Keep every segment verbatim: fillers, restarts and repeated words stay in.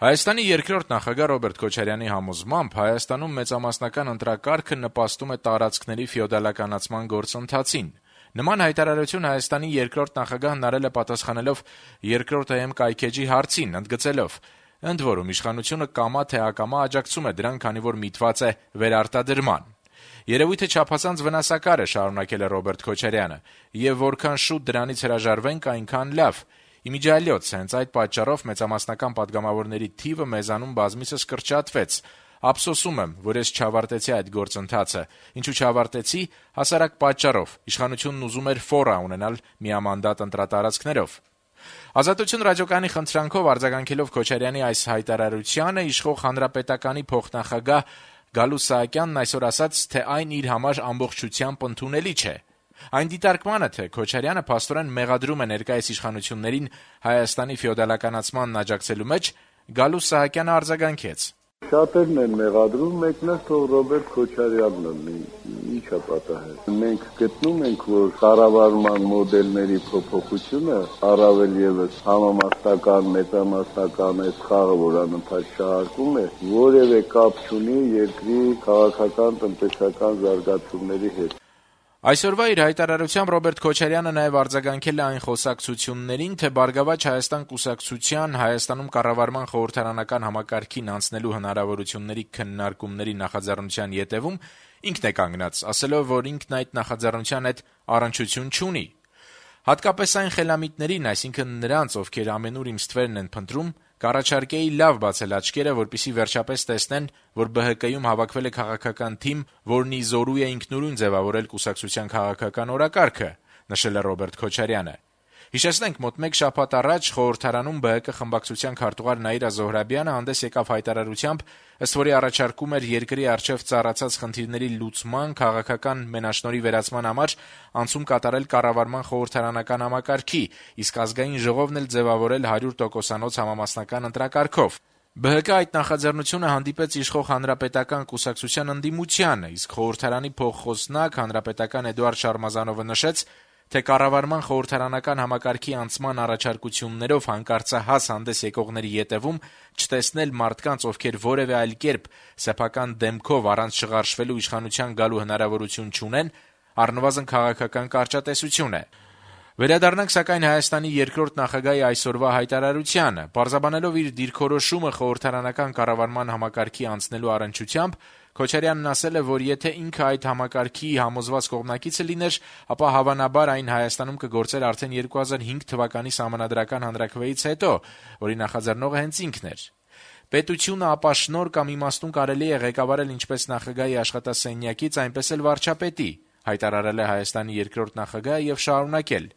Հայաստանի երկրորդ նախագահ Ռոբերտ Քոչարյանի համոզմամբ Հայաստանում մեծամասնական ընտրակարգը նպաստում է տարածքների ֆեոդալականացման գործընթացին։ Նման հայտարարություն Հայաստանի երկրորդ նախագահն արել է պատասխանելով երկրորդ ՀՀ կայքէջի հարցին, ընդգծելով. ընդ որում իշխանությունը կամա թե ակամա աջակցում է դրան, քանի որ միտված է վերարտադրման։ Երևույթը չափազանց վնասակար է, շարունակել է Ռոբերտ Քոչարյանը, եւ որքան շուտ դրանից հրաժարվենք, այնքան լավ։ Իմիջիալյոց, հենց այդ պատճառով մեծամասնական падգամավորների թիվը մեզանում բազմիցս կրճատվեց։ Ափսոսում եմ, որ ես չավարտեցի այդ գործընթացը, ինչու չավարտեցի, հասարակ պատճառով, իշխանությունն ուզում էր ֆորա ունենալ միամանդատ ընտրատարածքներով։ Ազատություն ռադիոկայանի խնդրանքով արձագանքելով Քոչարյանի այս հայտարարությանը, իշխող հանրապետականի փոխնախագահ Գալուստ Սահակյանն այսօր ասաց, թե այն իր համար ամբողջությամբ ընդունելի չէ։ Այն դիտարկմանը, թե Քոչարյանը փաստորեն մեղադրում է ներկայիս իշխանություններին Հայաստանի ֆեոդալականացմանն աջակցելու մեջ, Գալուստ Սահակյանը արձագանքեց. Շատերն են մեղադրում, մեկն է թող Ռոբերտ Քոչարյանն լինի, ի՞նչ է պատահել։ Մենք գտնում ենք, որ կառավարման մոդելների փոփոխությունը առավել եւս համամասնական, մեծամասնական այս խաղը, որ անընդհատ շահարկում է, որևէ կապ չունի երկրի քաղաքական, տնտեսական զարգացումների հետ։ Այսօրվա իր հայտարարությամբ Ռոբերտ Քոչարյանը նաև արձագանքել է այն խոսակցություններին, թե «Բարգավաճ Հայաստան» կուսակցության Հայաստանում կառավարման խորհրդարանական համակարգին անցնելու հնարավորությունների քննարկումների նախաձեռնության ետևում ինքն է կանգնած, ասելով, որ ինքն այդ նախաձեռնության հետ առնչություն չունի։ Հատկապես այն խելամիտներին, այսինքն նրանց, ովքեր ամենուր իմ ստվերն են փնտրում, կառաջարկեի լավ բացել աչքերը, որպեսզի վերջապես տեսնեն, որ ԲՀԿ-ում հավաքվել է քաղաքական թիմ, որն ի զորու է ինքնուրույն ձևավորել կուսակցության քաղաքական օրակարգը, նշել է Ռոբերտ Քոչարյանը։ Հիշեցնենք, մոտ մեկ շաբաթ առաջ խորհրդարանում ԲՀԿ խմբակցության քարտուղար Նաիրա Զոհրաբյանը հանդես եկավ հայտարարությամբ, ըստ որի առաջարկում էր երկրի առջև ծառացած խնդիրների լուծման, քաղաքական մենաշնորհի վերացման համար անցում կատարել կառավարման խորհրդարանական համակարգի, իսկ ազգային ժողովն էլ ձևավորել հարյուր տոկոսանոց համամասնական ընտրակարգով։ ԲՀԿ այդ նախաձեռնությունը հանդիպեց իշխող հանրապետական կուսակցության ընդդիմությանը, իսկ խորհրդարանի փոխխոսնակ հանրապետական Էդուարդ Շարմազանովը նշեց, թե կառավարման խորհրդարանական համակարգի անցման առաջարկություններով հանկարծահաս հանդես եկողների ետևում չտեսնել մարդկանց, ովքեր որևէ այլ կերպ սեփական դեմքով առանց շղարշվելու իշխանության գալու հնարավորություն չունեն, առնվազն քաղաքական կարճատեսություն է։ Վերադառնանք սակայն Հայաստանի երկրորդ նախագահի այսօրվա հայտարարությանը, պարզաբանելով իր դիրքորոշումը խորհրդարանական կառավարման համակարգի անցնելու առնչությամբ, Քոչարյանն ասել է, որ եթե ինքը այդ համակարգի համոզված կողմնակիցը լիներ, ապա հավանաբար այն Հայաստանում կգործեր արդեն երկու հազար հինգ թվականի Սահմանադրական հանրաքվեից հետո, որի նախաձեռնողը հենց ինքն էր։ Պետությունը ապա շնոր կամ իմաստուն կարելի է ղեկավարել ինչպես նախագահի աշխատասենյակից, այնպես էլ վարչապետի, հայտարարել է Հայաստանի երկրորդ նախագահը եւ շարունակել.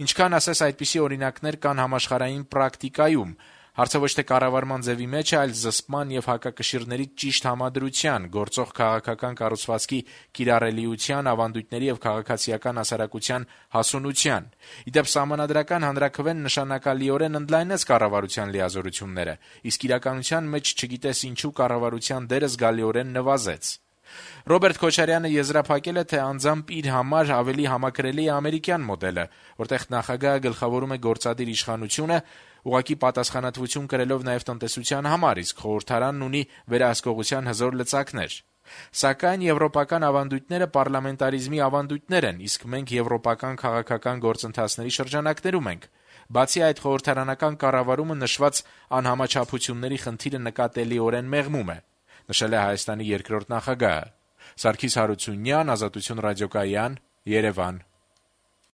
Ինչքան ասես այդպիսի օրինակներ կան համաշխարհային պրակտիկայում, հարցը ոչ թե կառավարման ձևի մեջ է, այլ զսպման եւ հակակշիռների ճիշտ համադրության, գործող քաղաքական կառուցվածքի կիրառելիության, ավանդույթների եւ քաղաքացիական հասարակության հասունության։ Իդեպ Սահմանադրական հանրաքվեն նշանակալիորեն ընդլայնեց կառավարության լիազորությունները, իսկ իրականության մեջ չգիտես ինչու կառավարության դերը զգալիորեն նվազեց։ Ռոբերտ Քոչարյանը եզրափակել է, թե անձամբ իր համար ավելի համակրելի է ամերիկյան մոդելը, որտեղ նախագահը գլխավորում է գործադիր իշխանությունը, ուղղակի պատասխանատվություն կրելով նաև տնտեսության համար, իսկ խորհրդարանն ունի վերահսկողության հզոր լծակներ։ Սակայն եվրոպական ավանդույթները պարլամենտարիզմի ավանդույթներ են, իսկ մենք եվրոպական քաղաքական գործընթացների շրջանակներում ենք։ Բացի այդ, խորհրդարանական կառավարումը նշված անհամաչափությունների խնդիրը նկատելիորեն մեղմում է, նշել է Հայաստանի երկրորդ նախագահը։ Սարգիս Հարությունյան, Ազատություն ռադիոկայան, Երևան։